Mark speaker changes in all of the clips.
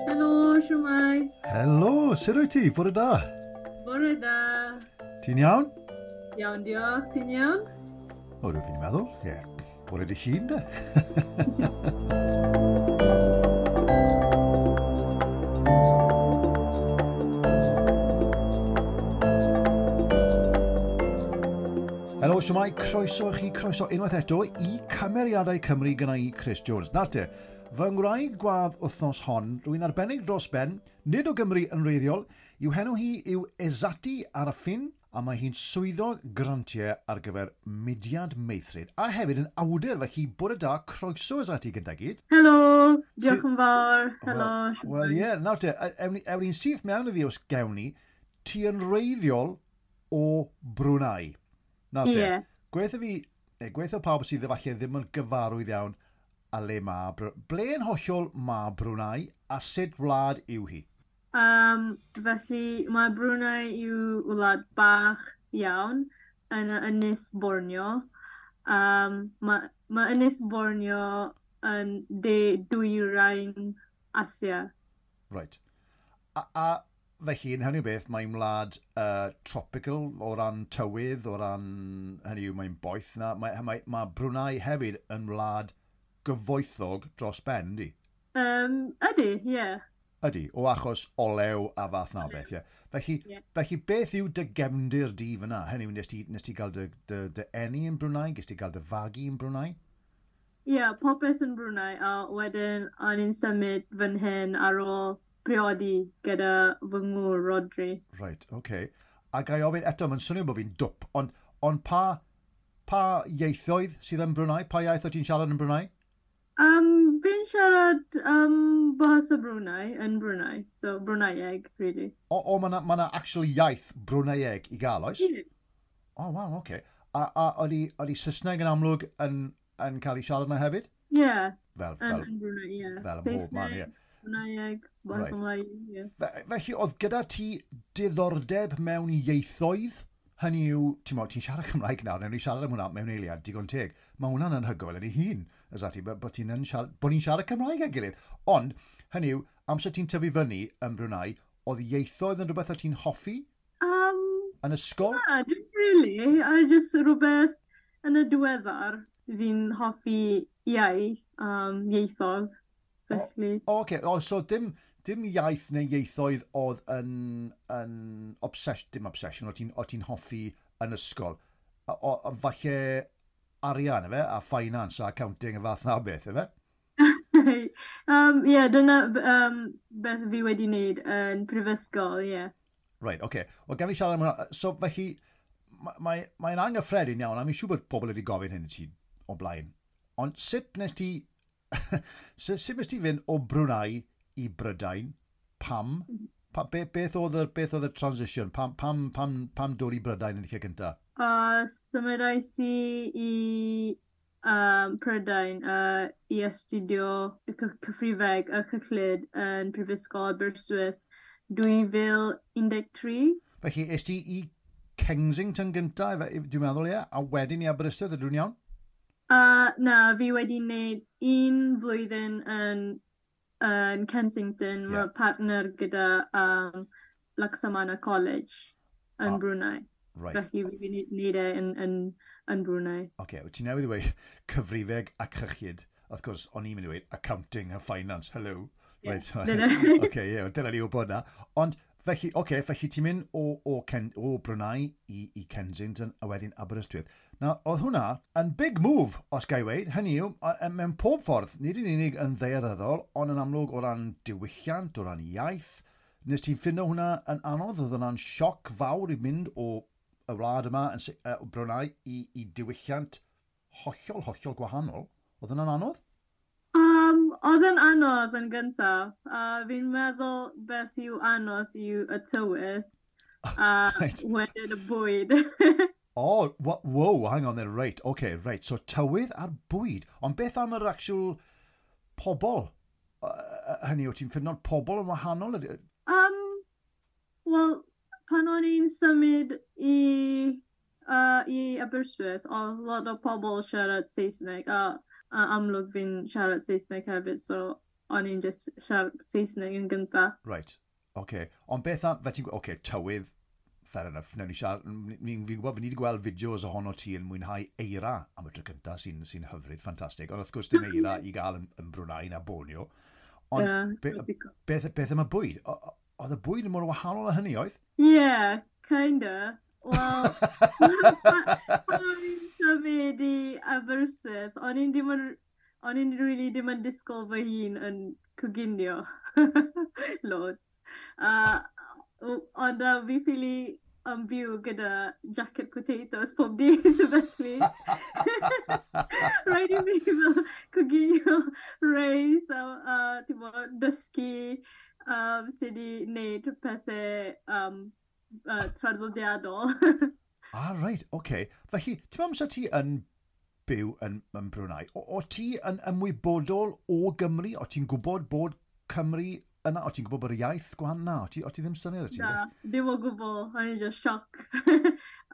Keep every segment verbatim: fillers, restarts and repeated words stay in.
Speaker 1: Helo, shwmae.
Speaker 2: Helo, sut wyt ti? Bore da.
Speaker 1: Bore da.
Speaker 2: Ti'n iawn?
Speaker 1: Iawn, diolch. Ti'n iawn?
Speaker 2: O, dwi'n fi'n meddwl, ie. Yeah. Bore dy hun, de. Helo, shwmae, croeso i chi, croeso unwaith eto i Cymeriadau Cymru gyda i Chris Jones. Nawr te, fy ngwraig gwadd wythnos hon, rwy'n arbennig dros ben, nid o Gymru yn wreiddiol, i'w henw hi yw Ezati Ariffin, a mae hi'n swyddog grantiau ar gyfer Mudiad Meithrin, a hefyd yn awdur, felly bore da, croeso Ezati gyda gyd.
Speaker 1: Helo, diolch yn fawr. Helo.
Speaker 2: Wel, ie, yeah, nawr te, ewn ni'n syth mewn iddi os gewn ni, ti yn wreiddiol o Brunei. Nawr te,
Speaker 1: yeah.
Speaker 2: Gweithio fi, neu gweithio pawb sydd efallai ddim yn gyfarwydd iawn a le ma, ble yn hollol ma Brunei a sut wlad yw hi?
Speaker 1: Um, felly mae Brunei yw wlad bach iawn yn y Ynys Borneo. Um, mae, mae Ynys Borneo yn de dwyrain Asia.
Speaker 2: Right. A, a felly, yn hynny o beth, mae'n wlad uh, tropical o ran tywydd, o ran, hynny yw, mae'n boeth na. Mae, mae, mae Brunei hefyd yn wlad gyfoethog dros ben, yndi?
Speaker 1: Um, ydy, ie. Yeah.
Speaker 2: Ydy, o achos olew a fath na beth, ie. Felly,
Speaker 1: yeah.
Speaker 2: Felly beth yw dy gefndir di fyna? Hynny yw, nes ti, nes ti gael dy, dy, dy eni yn Brunei? Nes ti gael dy fagu yn Brunei?
Speaker 1: Ie, yeah, popeth yn Brunei, a wedyn o'n i'n symud fan hyn ar ôl priodi gyda fy ngŵr Rodri.
Speaker 2: Right, oce. Okay. A ga i ofyn eto, mae'n swnio bod fi'n dwp, ond on pa, pa ieithoedd sydd yn Brunei? Pa iaith o ti'n siarad yn Brunei?
Speaker 1: Um, fi'n siarad um, Bahasa Brunei yn Brunei, so Bruneieg, really.
Speaker 2: O, o mae yna ma actual iaith Bruneieg i gael, oes?
Speaker 1: Yeah.
Speaker 2: O, oh, wow, oce. Okay. A, a oeddi, oeddi Saesneg yn amlwg yn, yn cael ei siarad yna hefyd?
Speaker 1: Ie. Yeah.
Speaker 2: Fel,
Speaker 1: fel,
Speaker 2: fel,
Speaker 1: yn Brunei, ie. Yeah.
Speaker 2: Fel ym mhob man, ie.
Speaker 1: Bruneieg, Bahasa
Speaker 2: Right.
Speaker 1: Melayu, ie.
Speaker 2: Fe, felly, oedd gyda ti diddordeb mewn ieithoedd? Hynny yw, ti'n mo, ti'n siarad Cymraeg nawr, newn ni siarad am hwnna mewn eiliad, digon teg. Mae hwnna'n anhygoel yn ei hun, Ezati, bod, bod ti'n siarad, bod ni'n siarad Cymraeg â'n gilydd. Ond, hynny yw, amser ti'n tyfu fyny yn Brunei, oedd ieithoedd yn rhywbeth o ti'n hoffi?
Speaker 1: Um,
Speaker 2: yn ysgol?
Speaker 1: Na, dim really. I just rhywbeth yn y diweddar, fi'n hoffi iaith, um, ieithoedd, felly.
Speaker 2: O, o, okay. O, so dim, dim iaith neu ieithoedd oedd yn, yn obsession, dim obsession, o ti'n ti hoffi yn ysgol. O, o, falle arian, efe, a finance a accounting a fath na beth, efe?
Speaker 1: um, yeah, dyna um, beth fi wedi wneud yn prifysgol, ie. Yeah.
Speaker 2: Right, oce. Okay. Wel, gan i siarad am hwnna. So, felly, mae'n mae, mae anghyffredin iawn, a mi'n siŵr bod pobl wedi gofyn hyn i ti o blaen. Ond sut nes ti, sut, sut nes ti fynd o Brunei i Brydain? Pam? Pa, be, beth oedd y, beth oedd y transition? Pam, pam, pam, pam dod i Brydain yn y lle gyntaf?
Speaker 1: Uh, symudais i i um, Prydain uh, i astudio y cyfrifeg a cyllid yn Prifysgol Aberystwyth dwy fil un deg tri.
Speaker 2: Felly, es ti i Kensington gyntaf, dwi'n meddwl, ie, a wedyn i Aberystwyth, ydw i'n iawn?
Speaker 1: Uh, na, fi wedi wneud un flwyddyn yn, yn Kensington, yeah. Mae partner gyda um, Laksamana College yn ah, Brunei.
Speaker 2: Right.
Speaker 1: Felly fi wedi wneud e yn, yn, yn Brunei.
Speaker 2: Oce, okay, ti newydd ddweud cyfrifeg a cyllid. Wrth gwrs, o'n i'n mynd i ddweud accounting a finance, hello.
Speaker 1: Yeah.
Speaker 2: Right, so, oce, yeah, dyna ni wybod na. Ond, felly, oce, okay, felly ti'n mynd o, o, Ken, o Brunei i, i Kensington a wedyn Aberystwyth. Nawr, oedd hwnna yn big move, os ga i weud, hynny yw, mewn pob ffordd, nid yn unig yn ddaearyddol, ond yn amlwg o ran diwylliant, o ran iaith. Nes ti ffindo hwnna yn anodd? Oedd hwnna'n sioc fawr i mynd o y wlad yma yn uh, Brunei i, i diwylliant hollol, hollol gwahanol. Oedd hwnna'n anodd?
Speaker 1: Um, oedd yn anodd yn gyntaf. Uh, fi'n meddwl beth yw anodd yw y tywydd a
Speaker 2: right.
Speaker 1: wedyn y bwyd.
Speaker 2: Oh, whoa, hang on there, right, okay, right. So tywydd a'r bwyd. Ond beth am yr actual pobl? Uh, hynny, wyt ti'n ffindo'r pobl yn wahanol?
Speaker 1: Um, Wel, pan o'n i'n symud i uh, i Aberystwyth, oedd lot o pobl siarad Saesneg, a, a amlwg fi'n siarad Saesneg hefyd, so o'n i'n just siarad Saesneg yn gynta.
Speaker 2: Right, oce. Okay. Ond beth am, fe ti'n, oce, okay, tywydd, fair enough, newn ni siarad, fi'n fi gwybod, fi ni wedi gweld fideos ohono ti yn mwynhau eira am y tro cynta, sy'n sy hyfryd, ffantastig, ond wrth gwrs dim eira i gael yn, yn Brunei na Borneo. Ond yeah, be, beth, beth am y bwyd? Oedd y bwyd yn mor wahanol â hynny, oedd?
Speaker 1: Yeah, kinda. Wel, pan o'n i'n symud i Aberystwyth, o'n i'n dim yn, o'n i'n really dim yn disgwyl fy hun yn coginio. Loads. Uh, ond uh, fi ffili yn byw gyda jacket potatoes pob dydd, felly. Rhaid i fi fel coginio reis a uh, ti'n dysgu um, sut i wneud pethau um, uh, traddodiadol.
Speaker 2: Ah, reit, oce. Okay. Felly, ti'n meddwl amser ti yn byw yn, yn Brunei, o, o ti yn ymwybodol o Gymru? O ti'n gwybod bod Cymru yna? O ti'n gwybod bod y iaith gwahanol? Na, o ti, o ti ddim syniad o ti?
Speaker 1: Na, ddim o gwbl. O'n i'n just sioc.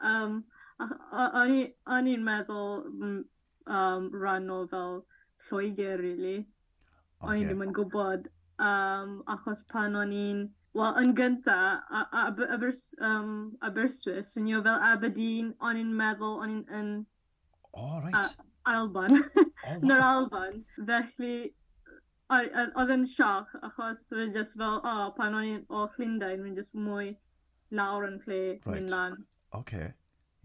Speaker 1: um, o'n i'n meddwl um, rhan o fel Lloegr, really. Okay. O'n i ddim yn gwybod. Um, achos pan o'n i'n... Wel, yn gynta, Abers, um, Aberystwyth, swnio fel Aberdeen, o'n i'n meddwl o'n i'n yn...
Speaker 2: Oh, right.
Speaker 1: A, Alban.
Speaker 2: Oh, wow.
Speaker 1: Yn yr Alban. Felly, oedd yn sioc, achos o'n just fel, oh, pan o'n i'n o Llundain, o'n just mwy lawr yn lle
Speaker 2: right.
Speaker 1: Mynd lan.
Speaker 2: Okay,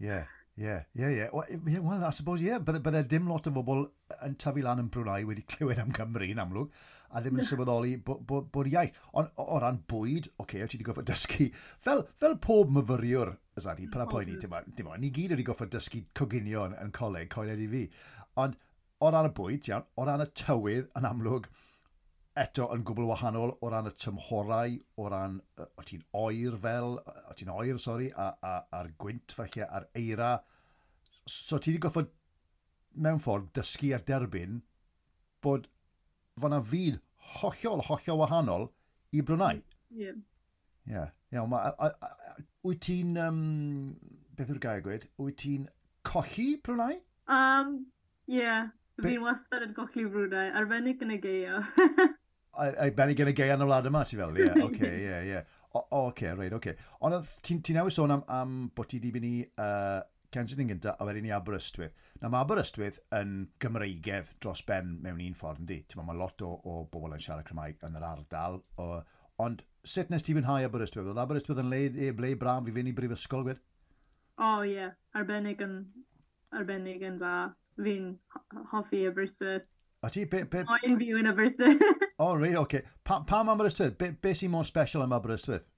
Speaker 2: yeah. Yeah, yeah, yeah. Well, yeah, well, I suppose, yeah, bydde, bydde dim lot o bobl yn tyfu lan yn Brunei wedi clywed am Cymru yn amlwg, a ddim yn sylweddoli bod bo, bo iaith. Ond o, o ran bwyd, oce, okay, ti wedi gorfod dysgu, fel, fel pob myfyriwr, Azadi, paid â poeni, dim, dim, ni gyd wedi gorfod dysgu coginio yn, yn coleg, coeled i fi. Ond o ran y bwyd, iawn, o ran y tywydd, yn amlwg, eto yn gwbl wahanol o ran y tymhorau, o ran, o ti'n oer fel, o ti'n oer, sori, a, a, a'r gwynt falle, a'r eira. So ti wedi gorfod, mewn ffordd, dysgu a derbyn bod fan'na fyd hollol, hollol wahanol i Brunei.
Speaker 1: Ie.
Speaker 2: Ie. Iawn, wyt ti'n, um, beth yw'r gair gweud, wyt ti'n colli Brunei?
Speaker 1: Um, ie. Yeah. Fi'n wastad yn colli Brunei, arbennig yn y gaeaf.
Speaker 2: Arbennig yn y gaeaf yn y wlad yma, ti fel? Ie, oce, ie, ie. Oce, reit, oce. Ond ti'n ti newydd sôn am, am bod ti wedi mynd i uh, Kensington gynta a wedyn i Aberystwyth. Na, mae Aberystwyth yn Gymreigedd dros ben mewn un ffordd, yndi? Ti'n meddwl, mae lot o, o bobl yn siarad Cymraeg yn yr ardal. O, ond sut nes ti fwynhau Aberystwyth? Oedd Aberystwyth yn le, e, ble braf i fynd i brifysgol, gwed?
Speaker 1: O, oh, ie. Yeah. Arbennig yn, arbennig yn dda. Fi'n hoffi Aberystwyth.
Speaker 2: A ti, be... be...
Speaker 1: O, un fyw yn Aberystwyth.
Speaker 2: O, oh, reit, oce. Okay. Pa, pam Aberystwyth? Be, be sy'n mor special am Aberystwyth?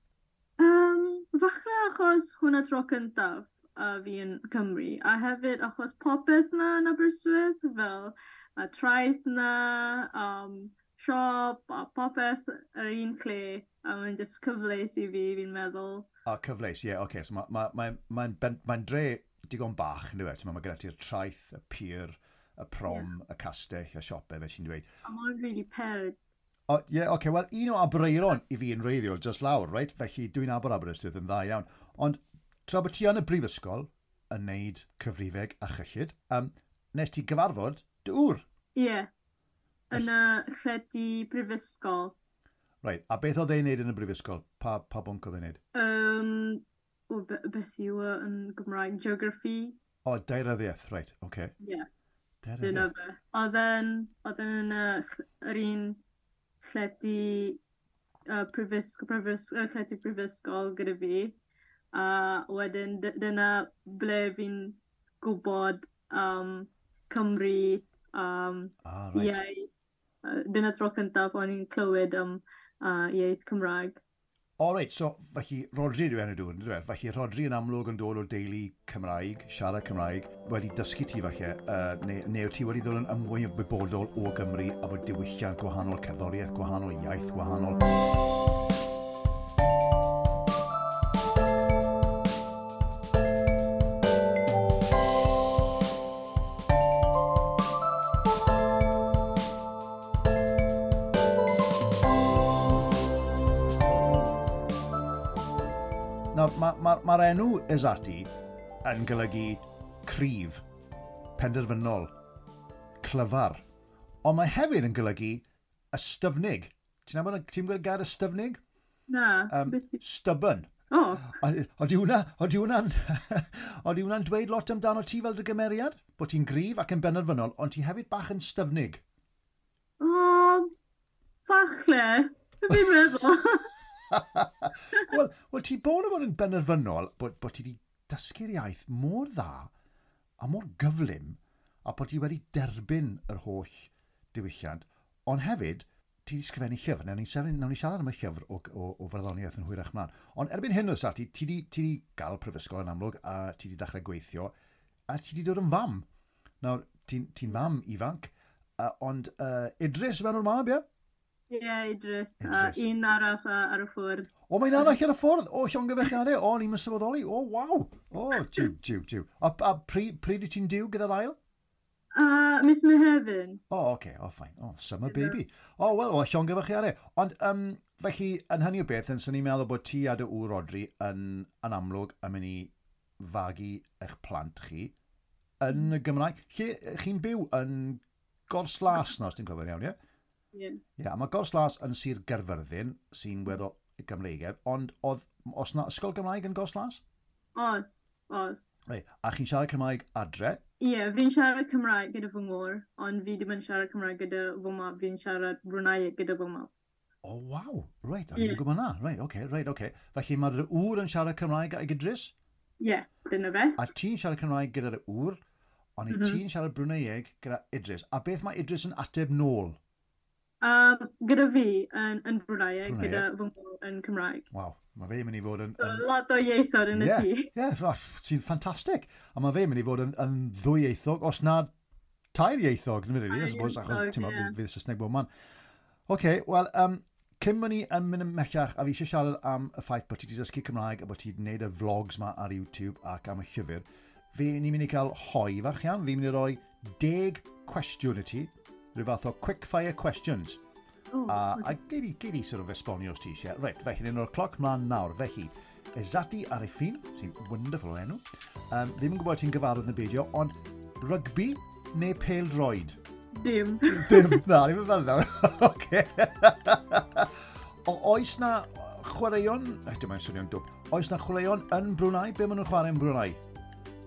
Speaker 1: Um, falle achos hwnna tro cyntaf uh, fi yn Cymru. A hefyd achos popeth na yn Aberystwyth, fel y traeth na, um, siop, a popeth yr un lle. A mae'n just cyfleus i fi, fi'n meddwl.
Speaker 2: A cyfleus, ie, yeah, oce. Okay. So mae'n ma, ma, ma, ma, ma dre digon bach, yn dweud. Mae gyda ti'r traeth, y pier, y prom, yeah. Y castell, y siopau, fe ti'n dweud.
Speaker 1: A mae'n really perig.
Speaker 2: O, ie, yeah, oce, okay, wel, un o Aberaeron i fi yn reiddiol, just lawr, right? Felly dwi'n nabod Aberystwyth yn dda iawn. Ond tra bod ti yn y brifysgol yn neud cyfrifeg a chyllid, um, nes ti gyfarfod dy ŵr?
Speaker 1: Ie, yeah, yn y llety brifysgol.
Speaker 2: Right, a beth oedd e'n neud yn y brifysgol? Pa, pa bwnc oedd e'n neud?
Speaker 1: Um, o, be, beth yw e yn Gymraeg? Geography.
Speaker 2: O, daearyddiaeth, right, oce. Okay.
Speaker 1: Ie, yeah. Dyna fe. Oedd e'n, oedd e'n yn yr un llety uh, prifysgol, prifysgol, uh, llety prifysgol gyda fi. A wedyn dyna ble fi'n gwybod um, Cymru, um,
Speaker 2: ah, right.
Speaker 1: Iaith. Uh, dyna tro cyntaf o'n i'n clywed am um, uh, iaith Cymraeg.
Speaker 2: O, reit, so felly Rodri yw enw dŵr, yndyfe? Felly Rodri yn amlwg yn dod o deulu Cymraeg, siarad Cymraeg, wedi dysgu ti falle, uh, neu, neu ti wedi dod yn ymwybodol o Gymru a fod diwylliant gwahanol, cerddoriaeth gwahanol, iaith gwahanol. Mae'r ma, ma, ma enw Ezati yn golygu cryf, penderfynol, clyfar. Ond mae hefyd yn golygu ystyfnig. Ti'n nabod, ti'n gwybod gair ystyfnig?
Speaker 1: Na.
Speaker 2: Um, stubborn.
Speaker 1: Oh.
Speaker 2: Oeddi hwnna, oeddi hwnna'n, oeddi hwnna'n dweud lot amdano ti fel dy gymeriad? Bod ti'n gryf ac yn benderfynol, ond ti hefyd bach yn styfnig.
Speaker 1: O, oh, falle. Fi'n meddwl.
Speaker 2: Wel, well, ti bod o fod yn benderfynol bod, bod ti wedi dysgu'r iaith mor dda a mor gyflym a bod ti wedi derbyn yr holl diwylliant, ond hefyd, ti wedi sgrifennu llyfr. Nawn ni siarad, nawn ni siarad am y llyfr o, o, o farddoniaeth yn hwyrach mlaen. Ond erbyn hyn, oes ti, ti di, ti di gael prifysgol yn amlwg, a ti di dechrau gweithio, a ti di dod yn fam. Nawr, ti'n ti fam ifanc, uh, ond uh, Idris yw enw'r mab, ie?
Speaker 1: Ie, yeah, Idris. Idris. Uh, un arall uh, ar y ffwrdd.
Speaker 2: O, mae'n arall ar y ffwrdd? O, llongyfarchiadau. O, ni'n sylweddoli. O, waw. O, jiw, jiw, jiw. A, a pryd, pryd i ti'n diw gyda'r ail?
Speaker 1: Uh, Mis Mehefin.
Speaker 2: O, oh, oce. Okay. O, oh, fine. O, oh, summer baby. O, oh, wel, o, llongyfarchiadau. Ond, um, felly, yn hynny o beth, yn sy'n ni'n meddwl bod ti a dy ŵr Rodri yn, yn amlwg yn mynd i fagu eich plant chi yn y Gymraeg. Lle chi'n byw yn Gorslas, na, os ti'n cofio'n iawn, ie?
Speaker 1: Ie.
Speaker 2: Ie, a mae Gorslas yn Sir Gaerfyrddin, sy'n weddol Gymreigaidd, ond oedd, os na ysgol Gymraeg yn Gorslas?
Speaker 1: Oes, oes.
Speaker 2: Reit, a chi'n siarad Cymraeg adre?
Speaker 1: Ie, yeah, fi'n siarad Cymraeg gyda fy ngŵr, ond fi ddim yn siarad Cymraeg gyda fy mab, fi'n siarad Bruneieg gyda fy mab.
Speaker 2: O, oh, waw, reit, o'n i'n gwybod na, reit, oce, okay, reit, oce. Okay. Felly mae'r ŵr yn siarad Cymraeg ag Idris?
Speaker 1: Ie, yeah, dyna fe.
Speaker 2: A ti'n siarad Cymraeg gyda'r ŵr, ond mm -hmm. ti'n siarad Bruneieg gyda Idris. A beth mae Idris yn ateb nôl?
Speaker 1: Um, gyda fi yn, yn Bruneieg, Bruneieg, gyda fy ngŵr yn Cymraeg.
Speaker 2: Waw. Mae fe mynd i fod yn...
Speaker 1: yn... Lot o ieithoedd yn y
Speaker 2: yeah,
Speaker 1: tŷ.
Speaker 2: Ie, yeah, sy'n ffantastig. A mae fe mynd i fod yn, yn ddwyieithog, os na tair ieithog, really, I suppose, achos ti'n yeah. fydd Saesneg bob man. Oce, okay, wel, um, cyn bod ni yn mynd ymhellach, a fi eisiau siarad am y ffaith bod ti wedi dysgu Cymraeg a bod ti wedi gwneud y vlogs ma ar YouTube ac am y llyfr, fi ni'n mynd i cael hoe fach iawn. Fi'n mynd i roi deg cwestiwn i ti, rhyw fath o quick fire questions.
Speaker 1: Oh,
Speaker 2: a, a gei di, gei di sort of esbonio os ti eisiau. Reit, felly, ni'n rhoi'r cloc mlaen nawr. Felly, Ezati Ariffin, sy'n wonderful o enw. Um, ddim yn gwybod ti'n gyfarwydd yn beidio, ond rygbi neu pêl-droed?
Speaker 1: Dim.
Speaker 2: Dim, na, ni'n fel nawr. Oce. O, oes na chwaraeon, eh, dim mae'n swnio'n dwp, oes na chwaraeon yn Brunei? Be maen nhw'n chwarae yn Brunei?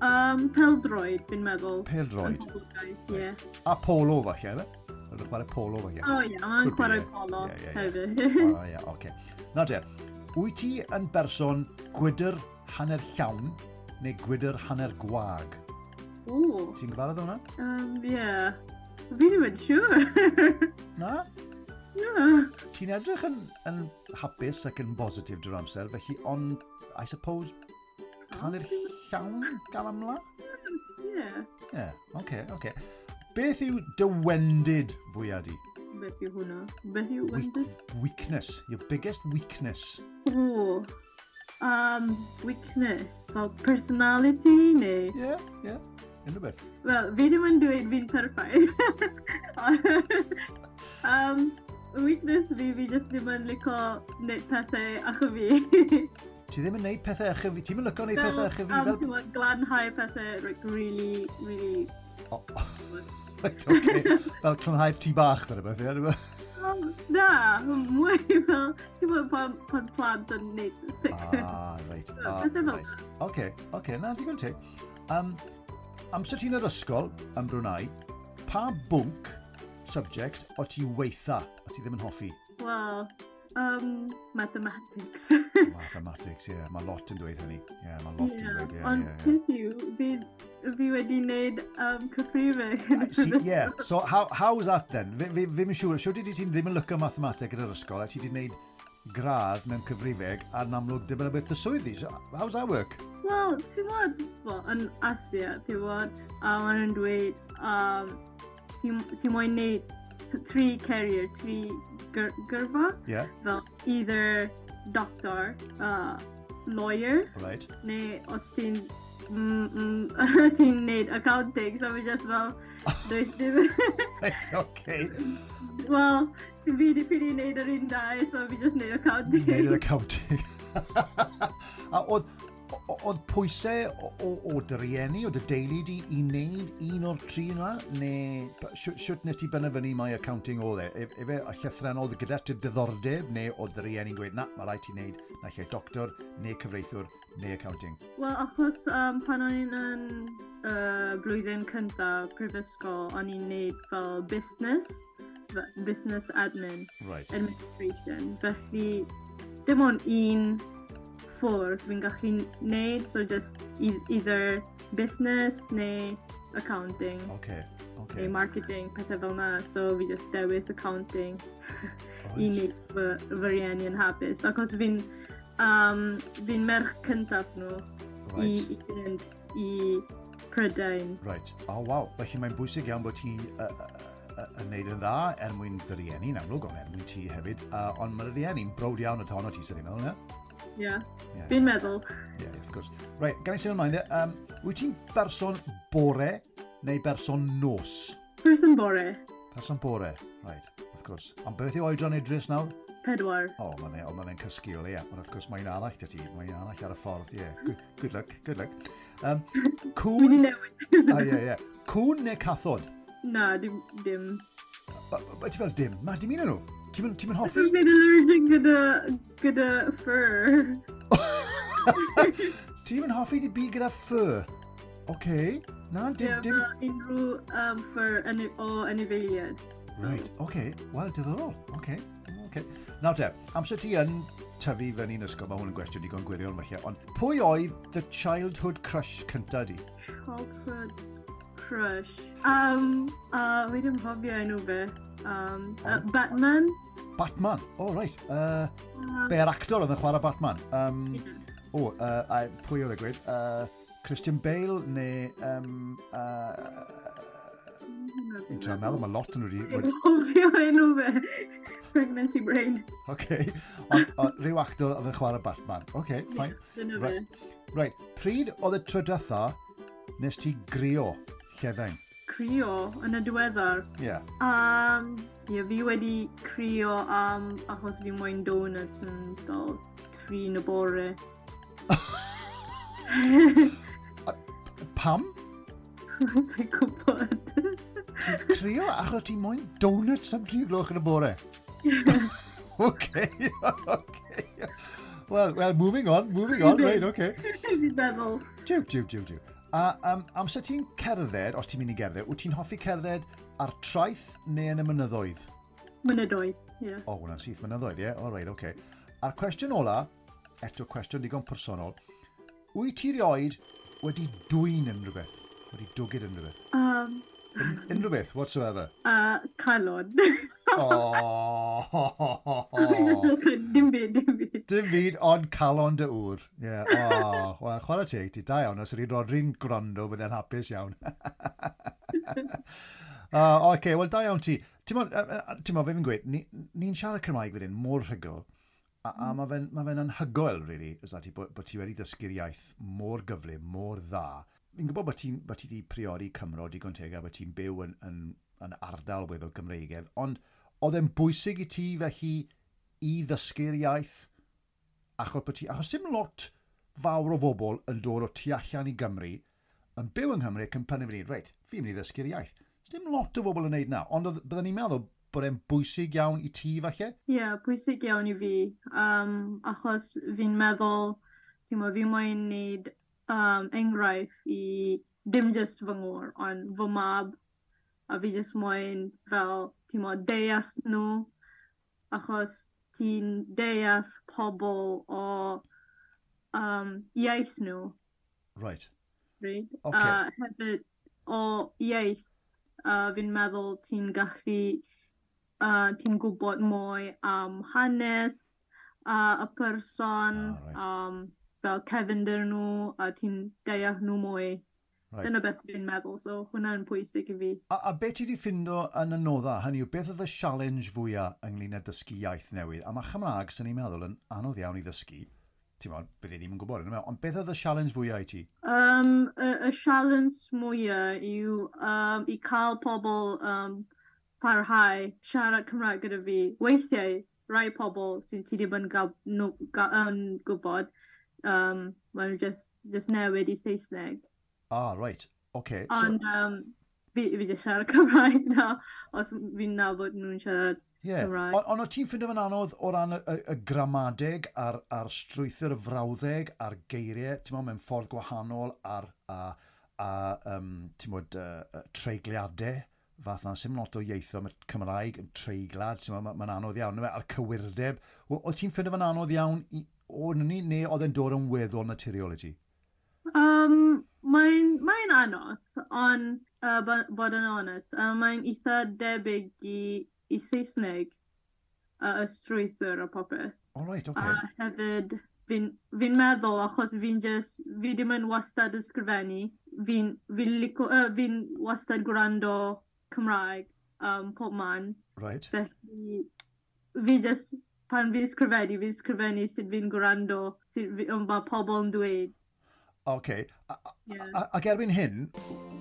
Speaker 1: Um, Pêl-droed, fi'n meddwl.
Speaker 2: Pêl-droed.
Speaker 1: Ie. Yeah.
Speaker 2: A polo falle, efe? Mae'n chwarae polo falle.
Speaker 1: O ie, mae'n chwarae polo hefyd.
Speaker 2: O ie, oce. Nawr te, wyt ti yn berson gwydr hanner llawn neu gwydr hanner gwag?
Speaker 1: O.
Speaker 2: Ti'n gyfarwydd hwnna?
Speaker 1: Um, ie. Fi ddim yn siŵr.
Speaker 2: Na?
Speaker 1: Na.
Speaker 2: Ti'n edrych yn, yn hapus ac yn bositif drwy'r amser, felly, ond, I suppose, hanner llawn gael amla?
Speaker 1: Ie.
Speaker 2: Ie, oce, oce. Beth yw dy wendid fwyaf di?
Speaker 1: Beth yw hwnna? Beth yw wendid?
Speaker 2: Weakness. Your biggest weakness.
Speaker 1: O. Um, weakness. Fel personality neu?
Speaker 2: Ie, yeah, ie. Yeah. Unrhyw beth.
Speaker 1: Wel, fi ddim yn dweud fi'n perffaith. um, weakness fi, fi just ddim yn licio wneud pethau acho fi.
Speaker 2: Ti ddim yn neud pethau acho fi? Ti'n mynd licio wneud pethau acho fi?
Speaker 1: Fel, um, ti'n glanhau pethau like, really, really...
Speaker 2: Oh. Right, okay. Fel clanhau'r tŷ bach, dyna beth, ie?
Speaker 1: Um, na, mwy fel, ti'n gwybod pan, pan plant yn neud sick.
Speaker 2: Ah, reit. Ah, right. Oce, oce, na, digon teg. Um, amser ti'n yr ysgol yn Brunei, pa bwnc, subject, o ti weitha, o ti ddim yn hoffi?
Speaker 1: Wel, um, mathematics.
Speaker 2: Mathematics, ie. Yeah. Mae lot yn dweud hynny. Ie, yeah, mae lot yeah. yn dweud, ie.
Speaker 1: Ond
Speaker 2: yeah,
Speaker 1: peth yw, fi, fi wedi wneud um, cyfrifeg.
Speaker 2: See, yeah, so how, how's that then? Fi, fi, fi'n siŵr, siŵr di ti'n ddim yn lyco mathemateg yn yr ysgol, a ti wedi wneud gradd mewn cyfrifeg, a'n amlwg dim yn y beth y swyddi. So, how's that work?
Speaker 1: Wel, ti'n bod, well, yn Asia, ti'n bod, a maen nhw'n dweud, um, ti'n ti moyn wneud tri career, tri gyr gyrfa.
Speaker 2: Yeah.
Speaker 1: Fel either doctor, uh, lawyer,
Speaker 2: right.
Speaker 1: Neu os ti'n mm, mm, ti'n neud accounting, so fi just fel, does dim...
Speaker 2: Right, okay.
Speaker 1: Wel, fi di ffili neud yr un dau, so fi just neud accounting.
Speaker 2: Neud yr accounting. A oedd, Oedd pwysau o, o, o dy rieni, o dy deulu di i wneud un o'r tri yna? Neu siwt nes ti benderfynu mai accounting oedd e? Efe a llythrennol gyda ti diddordeb, neu oedd dy rieni'n gweud, na, mae rhaid ti wneud naill ai doctor, neu cyfreithiwr, neu accounting?
Speaker 1: Wel, achos um, pan o'n i'n yn uh, blwyddyn cyntaf prifysgol, o'n i'n neud fel business, business admin,
Speaker 2: right.
Speaker 1: administration. Felly, dim ond un ffordd fi'n gallu neud, so just e- either business neu accounting.
Speaker 2: Okay, okay.
Speaker 1: Neu marketing, pethau fel na. So fi just dewis accounting
Speaker 2: right.
Speaker 1: i wneud fy, fy rieni yn hapus. Achos fi'n um, fi'n merch cyntaf nhw
Speaker 2: right.
Speaker 1: i, i fynd i Prydain.
Speaker 2: Right. Oh, waw. Felly mae'n bwysig iawn bod ti uh, uh, yn neud yn dda er mwyn dy rieni, yn amlwg, ond er mwyn ti hefyd. Uh, ond mae'r rieni'n browd iawn o tono ti, sy'n ni'n meddwl, ne?
Speaker 1: Ie, yeah.
Speaker 2: Yeah.
Speaker 1: Fi'n meddwl.
Speaker 2: Ie, yeah, of course. Right, gan i symud ymlaen, um, wyt ti'n berson bore neu berson nos?
Speaker 1: Person bore.
Speaker 2: Person bore, right, of course. Ond beth yw oedran Idris nawr?
Speaker 1: Pedwar.
Speaker 2: O, oh, mae fe, oh, ma fe'n cysgu o leia. Ond of course, mae'n arall dy ti. Mae'n arall ar y ffordd, ie. Yeah. Good, good luck, good luck. Um, cwn...
Speaker 1: Fi di newid.
Speaker 2: Ah, ie, ie. Cwn neu cathod?
Speaker 1: Na, dim. dim.
Speaker 2: Ba, ba, ti fel dim? Ma, dim un o'n nhw. Ti'n ti'n mynd hoffi?
Speaker 1: Fi'n allergic gyda, gyda fur.
Speaker 2: Ti'n mynd hoffi di byd gyda fur? Oce. Okay. Na, dim...
Speaker 1: Ie,
Speaker 2: dim...
Speaker 1: fel unrhyw um, fur ani o anifeiliaid.
Speaker 2: Right, oce. Okay. Wel, diddorol. Oce. Okay. Okay. Nawr te, amser ti yn tyfu fyny'n ysgol, mae hwn yn gwestiwn digon gwirion falle, ond pwy oedd dy childhood crush cynta di?
Speaker 1: Childhood crush. Um, uh, fi ddim cofio enw fe. Um, uh, Batman.
Speaker 2: Batman? Oh, right. Uh,
Speaker 1: Um,
Speaker 2: Be'r actor oedd yn chwarae Batman? Um,
Speaker 1: ie.
Speaker 2: O, uh, a pwy oedd e gweud? Uh, Christian Bale neu... Um, uh, Fi'n trio meddwl, mae lot yn nhw wedi...
Speaker 1: Fi'n cofio enw fe. Pregnancy brain.
Speaker 2: Oce. Ond o, rhyw actor oedd yn chwarae Batman. Oce, fine.
Speaker 1: Dyna fe.
Speaker 2: Right. Right, pryd oedd y tro diwetha nes ti grio llefain?
Speaker 1: Crio yn y diweddar.
Speaker 2: Ie. Yeah.
Speaker 1: Um, ie, fi wedi crio am achos fi moyn donuts yn fel tri yn y bore.
Speaker 2: Pam?
Speaker 1: Sa'n gwybod.
Speaker 2: Ti'n crio achos ti moyn donuts am tri gloch yn y bore? Oce, oce. Well, well, moving on, moving on, right, oce.
Speaker 1: Fi'n meddwl.
Speaker 2: Jiw, jiw, jiw, jiw. A um, amser ti'n cerdded, os ti'n mynd i gerdded, wyt ti'n hoffi cerdded ar traeth neu yn y mynyddoedd?
Speaker 1: Mynyddoedd, ie.
Speaker 2: O, oh, hwnna'n syth mynyddoedd, ie? O, reit, oce. A'r cwestiwn ola, eto cwestiwn digon personol, wyt ti rioed wedi dwyn unrhyw beth? Wedi dwgyd unrhyw beth?
Speaker 1: Um,
Speaker 2: Un, unrhyw beth, whatsoever?
Speaker 1: uh, calon.
Speaker 2: Oh.
Speaker 1: Dim byd, dim byd.
Speaker 2: Dim byd ond calon dy ŵr. Ie, yeah, oh, wel, chwarae teg ti, da iawn. Os ydy Rodri'n gwrando, bydde'n hapus iawn. uh, Oce, okay, wel, da iawn ti. Ti'n mo, ti'n mo, fe fi'n gweud, ni'n ni siarad Cymraeg wedyn mor rhugl, a, a mae fe'n ma fe anhygoel, really, is ti, bod, bod ti wedi dysgu'r iaith mor gyflym, mor dda. Fi'n gwybod bod ti'n bod ti wedi priodi Cymro digon teg a bod ti'n byw yn, yn, yn ardal weddol Gymreigedd, ond oedd e'n bwysig i ti felly i ddysgu'r iaith achos bod ti, achos dim lot fawr o bobl yn dod o tu allan i Gymru, yn byw yng Nghymru ac yn penderfynu, reit, fi'n mynd i ddysgu'r iaith. Dim lot o bobl yn neud na, ond oedd- byddwn ni'n meddwl bod e'n bwysig iawn i ti falle?
Speaker 1: Ie, yeah, bwysig iawn i fi. Um, achos fi'n meddwl, ti'n mo, fi moyn neud um, enghraifft i dim just fy ngŵr, ond fy mab. A fi just moyn fel, ti'n mo, deall nhw. Achos ti'n deall pobl o um, iaith nhw.
Speaker 2: Right.
Speaker 1: Right?
Speaker 2: Ocê.
Speaker 1: A hefyd o iaith, uh, fi'n meddwl ti'n gallu, uh, ti'n gwybod mwy am hanes uh, y person,
Speaker 2: Ah, right.
Speaker 1: um, fel cefndir nhw, a ti'n deall nhw mwy.
Speaker 2: Right.
Speaker 1: Dyna beth fi'n meddwl, so hwnna'n pwysig i fi.
Speaker 2: A, a beth ti wedi ffindo yn anodda? Hynny yw, beth oedd y challenge fwyaf ynglyn â dysgu iaith newydd? A mae Chymraeg, sy'n ni'n meddwl, yn anodd iawn i ddysgu. Ti'n meddwl, bydde ddim yn gwybod, yn ond beth oedd y challenge fwyaf i ti?
Speaker 1: Um, y, y challenge mwyaf yw um, i cael pobl um, parhau siarad Cymraeg gyda fi. Weithiau, rai pobl sy'n ti ddim yn, gab, nhw, ga, yn gwybod, Um, maen nhw just, just newid i Saesneg.
Speaker 2: Ah, right. Okay.
Speaker 1: Ond so... um, fi, fi just siarad Cymraeg na, os fi'n nabod nhw'n siarad
Speaker 2: yeah.
Speaker 1: Cymraeg.
Speaker 2: Ond on, o ti'n ffindo fe'n anodd o ran y, y, y gramadeg a'r, a'r strwythur y frawddeg a'r geiriau, ti'n meddwl, mewn ffordd gwahanol a'r a, a, um, ti'n meddwl, uh, treigliadau fath na, sim lot o ieitho, mae Cymraeg yn treiglad, ti'n meddwl, mae'n anodd iawn, a'r cywirdeb. O, o ti'n ffindo fe'n anodd iawn i, o ni, neu oedd e'n dod yn weddol naturiol i ti?
Speaker 1: Um, mae'n mae anodd, ond uh, bod yn onest, uh, mae'n eitha debyg i, i Saesneg, uh, y strwythur a popeth.
Speaker 2: All right, okay.
Speaker 1: A hefyd, fi'n fi meddwl, achos fi'n just, fi ddim yn wastad ysgrifennu, fi'n fi lico, uh, fi wastad gwrando Cymraeg um, pob man.
Speaker 2: Right.
Speaker 1: Felly, fi just, pan fi'n ysgrifennu, fi'n ysgrifennu sut fi'n gwrando, sut fi, um, mae pobl yn dweud.
Speaker 2: Oce. A, yeah. Ac erbyn hyn,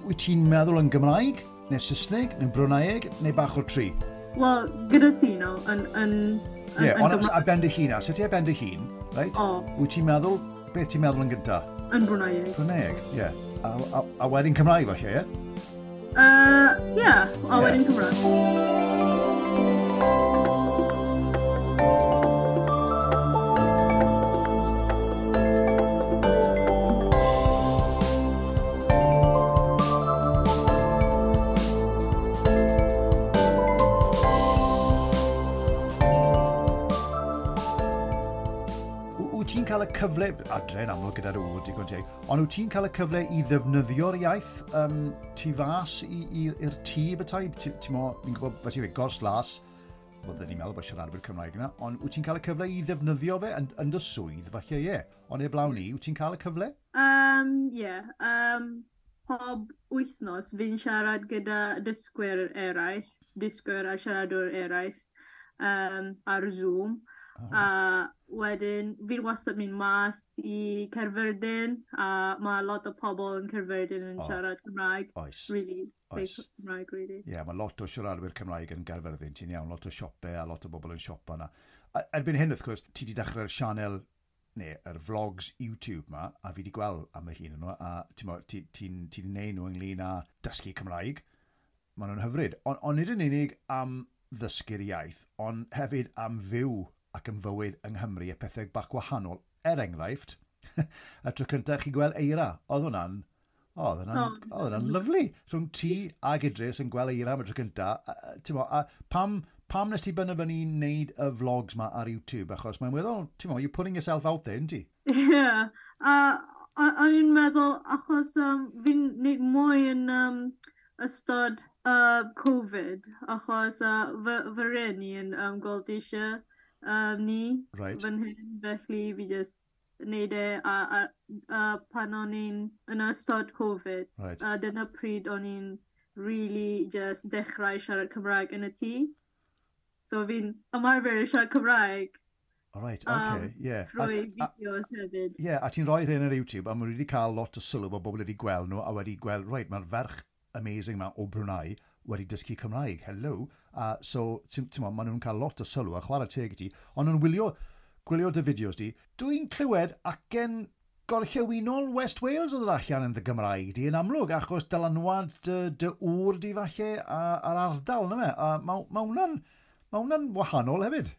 Speaker 2: wyt ti'n meddwl yn Gymraeg, neu Saesneg, neu Brwnaieg, neu bach o'r tri?
Speaker 1: Wel, gyda ti, no, yn... yn
Speaker 2: Ie, yeah, ond ar ben dy hun, a sut ti ar ben dy hun, right?
Speaker 1: O.
Speaker 2: Wyt ti'n meddwl, beth ti'n meddwl yn gynta?
Speaker 1: Yn Brwnaieg.
Speaker 2: Brwnaieg, ie. Yeah. A, a, a wedyn Cymraeg, falle, ie?
Speaker 1: Uh, yeah, a wedyn Cymraeg.
Speaker 2: Cyfle, adre yn amlwg gyda'r ŵr digon teg, ond wyt ti'n cael y cyfle i ddefnyddio'r iaith um, tu fas i'r tŷ bethau? Ti'n mo, fi'n gwybod, fe ti'n gweud, gors las, byddwn ni'n meddwl bod siaradwyr Cymraeg yna, ond wyt ti'n cael y cyfle i ddefnyddio fe yn, yn dy swydd, falle ie, ond heblaw ni, wyt ti'n cael y cyfle?
Speaker 1: Um, yeah, um, pob wythnos fi'n siarad gyda dysgwyr eraill, dysgwyr a siaradwyr eraill um, ar Zoom.
Speaker 2: Oh.
Speaker 1: A wedyn, fi'n wastad mynd mas i Caerfyrddin, a mae lot o pobl yn Caerfyrddin yn
Speaker 2: oh.
Speaker 1: siarad Cymraeg.
Speaker 2: Oes.
Speaker 1: Really,
Speaker 2: Oes.
Speaker 1: Cymraeg, really.
Speaker 2: Ie, yeah, mae lot o siaradwyr Cymraeg yn Gaerfyrddin, ti'n iawn, lot o siopau a lot o bobl yn siopa yna. A erbyn hyn, wrth gwrs, ti wedi dechrau'r sianel, neu yr vlogs YouTube ma, a fi wedi gweld am y hun nhw, a ti'n ti, ti, ti neud nhw ynglyn â dysgu Cymraeg. Maen nhw'n hyfryd. Ond on nid yn unig am ddysgu'r iaith, ond hefyd am fyw ac yn fywyd yng Nghymru a pethau bach gwahanol. Er enghraifft, y tro cyntaf chi gweld eira, oedd hwnna'n, oedd hwnna'n, oedd hwnna'n lyfli. Rhwng ti ag Idris yn gweld eira am y tro cyntaf. Ti'n mo, a pam, pam nes ti benderfynu wneud y vlogs ma ar YouTube? Achos mae'n weddol, ti'n mo, you're putting yourself out there, ynddi?
Speaker 1: Ie, yeah. A o'n i'n meddwl, achos um, fi'n neud mwy yn um, ystod uh, Covid, achos uh, fy, fy rhieni yn um, gweld eisiau um, ni
Speaker 2: right.
Speaker 1: fan hyn, felly fi just neud e a, a, a pan o'n i'n yn ystod Covid,
Speaker 2: right.
Speaker 1: a dyna pryd o'n i'n really just dechrau siarad Cymraeg yn y tŷ. So fi'n ymarfer siarad Cymraeg.
Speaker 2: All right, okay, um, yeah.
Speaker 1: Trwy fideos hefyd.
Speaker 2: Yeah, a ti'n rhoi hyn ar YouTube, a maen nhw wedi cael lot o sylw bod bobl wedi gweld nhw, a wedi gweld, right, mae'r ferch amazing ma o Brunei wedi dysgu Cymraeg, hello. Uh, so, ti'n mo, maen nhw'n cael lot o sylw a chwarae teg i ti, ond nhw'n wylio, gwylio dy fideos di. Dwi'n clywed acen gorllewinol West Wales oedd yr allan yn dy Gymraeg di yn amlwg, achos dylanwad dy, dy ŵr di falle a'r ardal, na fe? A mae ma hwnna'n ma hwnna'n wahanol hefyd.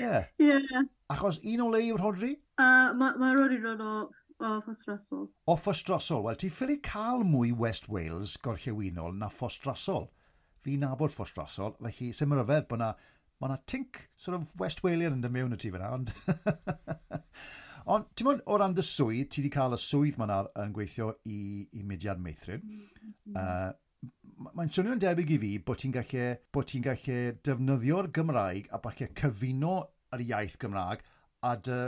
Speaker 2: Ie.
Speaker 1: Yeah.
Speaker 2: Achos un o le yw Rhodri?
Speaker 1: Uh, mae ma Rhodri dod o O Ffostrasol.
Speaker 2: O Ffostrasol. Wel, ti ffili cael mwy West Wales gorllewinol na Ffostrasol. Fi nabod Ffostrasol, felly sy'n ryfedd bod na, ma na tink sort of West Walian yn dy mewn y ti fyna, ond... ond, ti'n mwyn, o ran dy swydd, ti wedi cael y swydd ma'n ar yn gweithio i, i Mudiad Meithrin.
Speaker 1: Mm -hmm.
Speaker 2: uh, mae'n swnio'n debyg i fi bod ti'n gallu, bod ti'n gallu defnyddio'r Gymraeg a falle cyfuno yr iaith Gymraeg a dy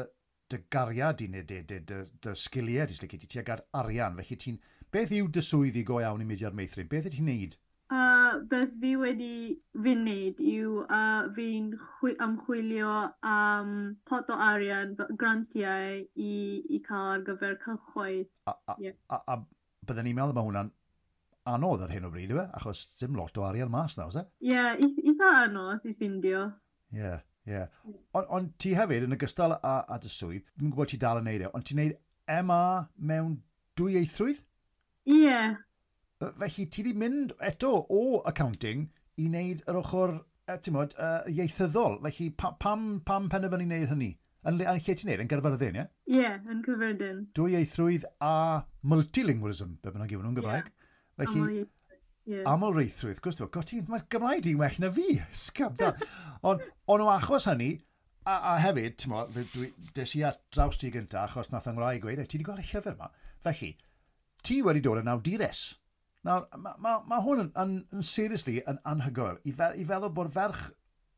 Speaker 2: dy gariad i neu dy, dy, dy, dy sgiliau di, ti tuag at arian. Felly ti'n, beth yw dy swydd i go iawn i Mudiad Meithrin? Beth ydy ti'n neud?
Speaker 1: Uh, beth fi wedi fi'n neud yw uh, fi'n ymchwilio am um, pot o arian, grantiau i, i cael ar gyfer cylchoedd.
Speaker 2: A, a,
Speaker 1: yeah.
Speaker 2: a, a, a bydden ni'n meddwl mae hwnna'n anodd ar hyn o bryd, yw e? Achos dim lot o arian mas nawr, oes e?
Speaker 1: Ie, yeah, eitha anodd i ffindio.
Speaker 2: Ie. Yeah. Ie. Yeah. Ond on, ti hefyd, yn ogystal â, â dy swydd, dwi'n gwybod ti dal yn neud e, ond ti'n neud M A mewn dwyieithrwydd?
Speaker 1: Ie. Yeah.
Speaker 2: Felly ti wedi mynd eto o accounting i wneud yr ochr, ti'n modd, uh, ieithyddol. Felly pa, pam, pam penderfynu wneud hynny? Yn, yn lle ti'n neud? Yn Gaerfyrddin, ie?
Speaker 1: Ie, yeah, yn Caerfyrddin.
Speaker 2: Dwyieithrwydd a multilingualism, be bynnag yw hwnnw'n Gymraeg.
Speaker 1: Yeah. Felly, yeah.
Speaker 2: Amlreithrwydd, gwrs, god, ti'n, mae'r Gymraeg di'n well na fi, sgab da. Ond on o achos hynny, a, a hefyd, ti'n mo, dwi, des i at draws ti gynta, achos nath yng Nghymraeg gweud, ti wedi gweld y llyfr yma. Felly, ti wedi dod yn awdures. Nawr, mae ma, ma hwn yn, yn, yn seriously yn anhygoel. I, fe, i feddwl bod ferch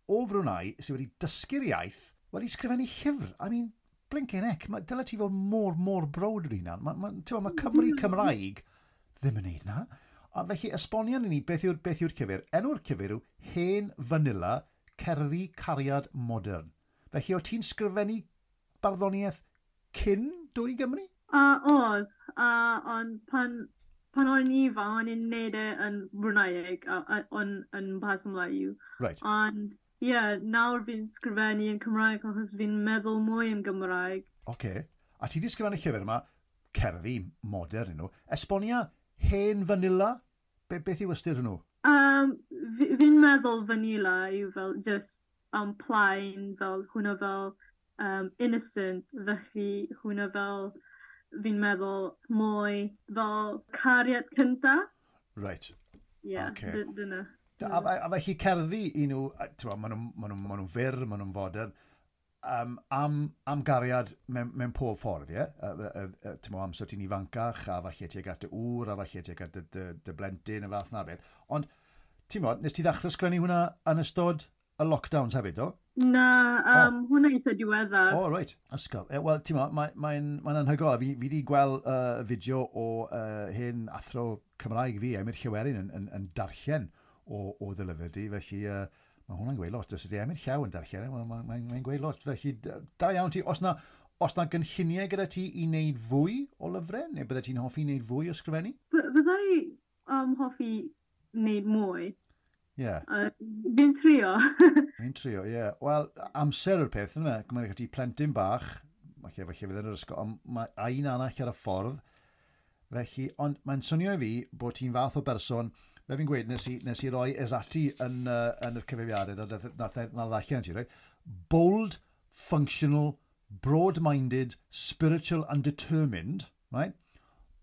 Speaker 2: o Brunei sydd wedi dysgu'r iaith wedi sgrifennu llyfr. I mean, blinking heck, ma, dyle ti fod mor, mor browd o'r hunan. Mae ma, ma, ma Cymru Cymraeg ddim yn neud na. A felly, esbonio ni beth yw'r beth yw'r llyfr. Enw'r llyfr yw Hen Vanilla, Cerddi Cariad Modern. Felly, o ti'n sgrifennu barddoniaeth cyn dod i Gymru?
Speaker 1: Uh, oedd, uh, ond pan, pan o'n ifanc, o'n i'n neud e yn Bruneieg, uh, on, yn Bahasa Melayu.
Speaker 2: Right.
Speaker 1: Ond, ie, yeah, nawr fi'n sgrifennu yn Cymraeg achos fi'n meddwl mwy yn Gymraeg.
Speaker 2: Oce. Okay. A ti wedi sgrifennu llyfr yma, cerddi modern nhw. Esbonia Hen Vanilla? Be, beth yw ystyr hwnnw?
Speaker 1: Um, fi'n meddwl vanilla yw fel just um, plain, fel hwnna fel um, innocent, felly hwnna fel fi'n meddwl mwy fel cariad cynta.
Speaker 2: Right.
Speaker 1: Ie, yeah, okay. Dyna.
Speaker 2: A, a, a felly cerddi i nhw, maen nhw'n ma nhw, ma nhw fyr, maen nhw'n fodern, um, am, am gariad mewn, mewn pob ffordd, ie? Yeah? Ti'n mo, amser ti'n ifancach, a falle tuag at dy ŵr, a falle tuag at dy, dy, dy blentyn, a fath na beth. Ond, ti'n mo, nes ti ddechrau sgrifennu hwnna yn ystod y lockdowns hefyd, do?
Speaker 1: Na, um, oh. hwnna eitha diweddar.
Speaker 2: O, oh, reit. Ysgol. E, wel, ti'n mo, mae'n mae, mae anhygoel. Fi, fi wedi gweld uh, fideo o uh, hen athro Cymraeg fi, Emyr Llywelyn, yn, yn, yn darllen o, o dy lyfr di, felly... Uh, mae hwnna'n gweud lot. Os ydy Emyr Llaw yn darllen, mae'n mae, mae, mae gweud lot. Felly, da iawn ti. Os na, os na gynlluniau gyda ti i wneud fwy o lyfrau, neu bydde ti'n hoffi wneud fwy o sgrifennu?
Speaker 1: Byddai um, hoffi wneud mwy.
Speaker 2: Ie. Yeah.
Speaker 1: Uh, fi'n trio.
Speaker 2: Fi'n trio, ie. Yeah. Wel, amser yw'r peth, yna. Mae'n ti plentyn bach, falle, falle fydd yn yr ysgol, ond mae a un arall ar y ffordd. Felly, ond mae'n swnio i fi bod ti'n fath o berson. Fe fi'n gweud, nes i, nes i roi Ezati yn, uh, yn yr cyfeiriadau, na, na, na, na ddallen ti, right? Bold, functional, broad-minded, spiritual and determined, right?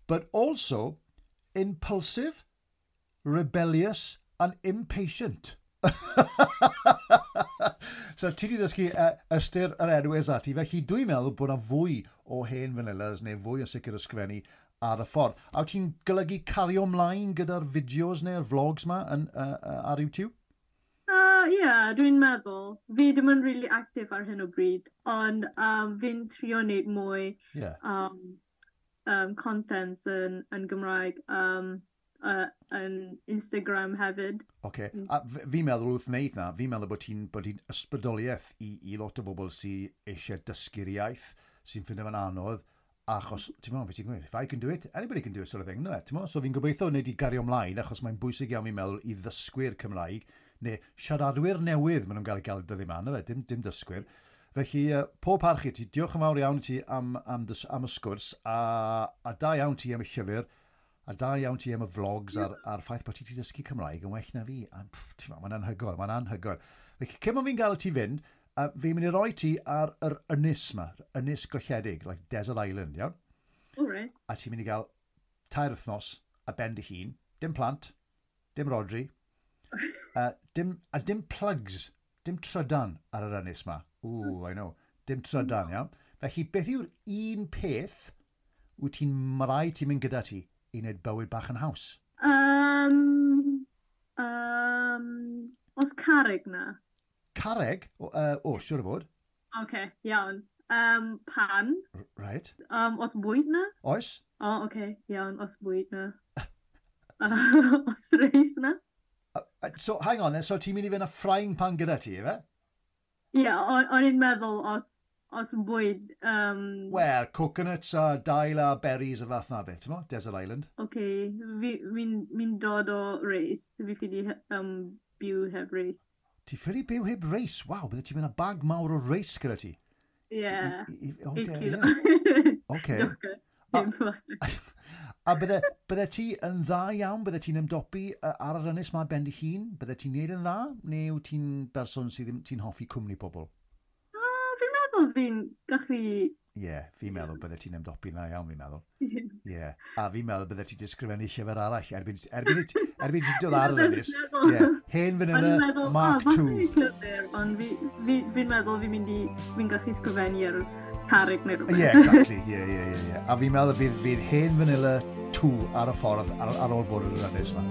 Speaker 2: But also impulsive, rebellious and impatient. So ti di ddysgu uh, ystyr yr enw Ezati, felly dwi'n meddwl bod yna fwy o hen vanillas neu fwy o sicr ysgrifennu ar y ffordd. A wyt ti'n golygu cario ymlaen gyda'r fideos neu'r vlogs ma yn, uh, uh, ar YouTube?
Speaker 1: Uh, yeah, dwi'n meddwl. Fi ddim yn really active ar hyn o bryd, ond um, fi'n trio wneud mwy
Speaker 2: yeah.
Speaker 1: um, um, contents yn, yn Gymraeg, um, uh, yn Instagram hefyd.
Speaker 2: Oce. Okay. A fi'n meddwl wrth wneud na, fi'n meddwl bod ti'n bod ti'n ysbrydoliaeth i, i lot o bobl sydd eisiau dysgu'r iaith, sy'n ffindo fe'n anodd, achos, ti'n meddwl, beth ti'n gweud, if I can do it, anybody can do it sort of thing, no, ti'n meddwl? So fi'n gobeithio wneud i gario ymlaen, achos mae'n bwysig iawn fi'n meddwl i ddysgwyr Cymraeg, neu siaradwyr newydd maen nhw'n gael eu gael dyddi yma, na fe, dim, dim dysgwyr. Felly, uh, pob parch i ti, diolch yn fawr iawn i ti am, am, dys, am y sgwrs, a, a da iawn ti am y llyfr, a da iawn ti am y vlogs a'r, a'r ffaith bod ti wedi dysgu Cymraeg yn well na fi. A, pff, ti'n meddwl, mae'n anhygoel, mae'n anhygoel. Felly, cyn bod fi'n gael ti fynd, a fi'n mynd i roi ti ar yr ynys yma, ynys golledig, like Desert Island, iawn?
Speaker 1: All right.
Speaker 2: A ti'n mynd i gael tair wythnos a ben dy hun, dim plant, dim Rodri, uh, dim, a dim plugs, dim trydan ar yr ynys yma. Ooh, I know. Dim trydan, iawn? Felly, beth yw'r un peth wyt ti'n marai ti'n mynd gyda ti i wneud bywyd bach yn haws?
Speaker 1: Um, um, os carreg na?
Speaker 2: Carreg? O, uh, o, siwr o fod.
Speaker 1: Oce, okay, iawn. Um, pan.
Speaker 2: Right.
Speaker 1: Um, os bwyd na?
Speaker 2: Oes.
Speaker 1: O, oh, oce, okay, iawn, os bwyd na. Uh, os reis na.
Speaker 2: Uh, so, hang on then, so ti'n mynd i fynd â frying pan gyda ti, efe?
Speaker 1: Ie, yeah, o'n i'n meddwl os, os bwyd... Um...
Speaker 2: Wel, coconuts a dail a berries a fath na beth, ti'n mo? Desert Island.
Speaker 1: Oce, okay, fi'n fi, fi dod o reis. Fi ffili um, byw heb reis.
Speaker 2: Ti ffili byw heb reis? Waw, bydde ti'n mynd â bag mawr o reis gyda ti?
Speaker 1: Ie.
Speaker 2: Oce, ie. Oce. A bydde, bydde ti yn dda iawn? Bydde ti'n ymdopi ar yr ynys ma ben dy hun? Bydde ti'n neud yn dda? Neu wyt ti'n berson sydd ddim, ti'n hoffi cwmni pobl?
Speaker 1: Oh, fi'n meddwl fi'n gallu.
Speaker 2: Ie, yeah, fi'n meddwl bydde ti'n ymdopi'n dda iawn, fi'n meddwl. Ie, yeah. A fi'n meddwl bydde ti'n disgrifennu llyfr arall erbyn, erbyn, erbyn ti'n dod ar yr ynys. Ie, yeah. Hen Vanilla meddwl, Mark oh, Two.
Speaker 1: Llyfr, ond fi'n fi, fi meddwl fi'n mynd i, fi'n gallu sgrifennu ar carreg neu rhywbeth.
Speaker 2: Ie, yeah, exactly. Ie, ie, ie. Yeah. A fi'n meddwl fydd, fydd Hen Vanilla two ar y ffordd ar, ar ôl bod yn yr ynys yma.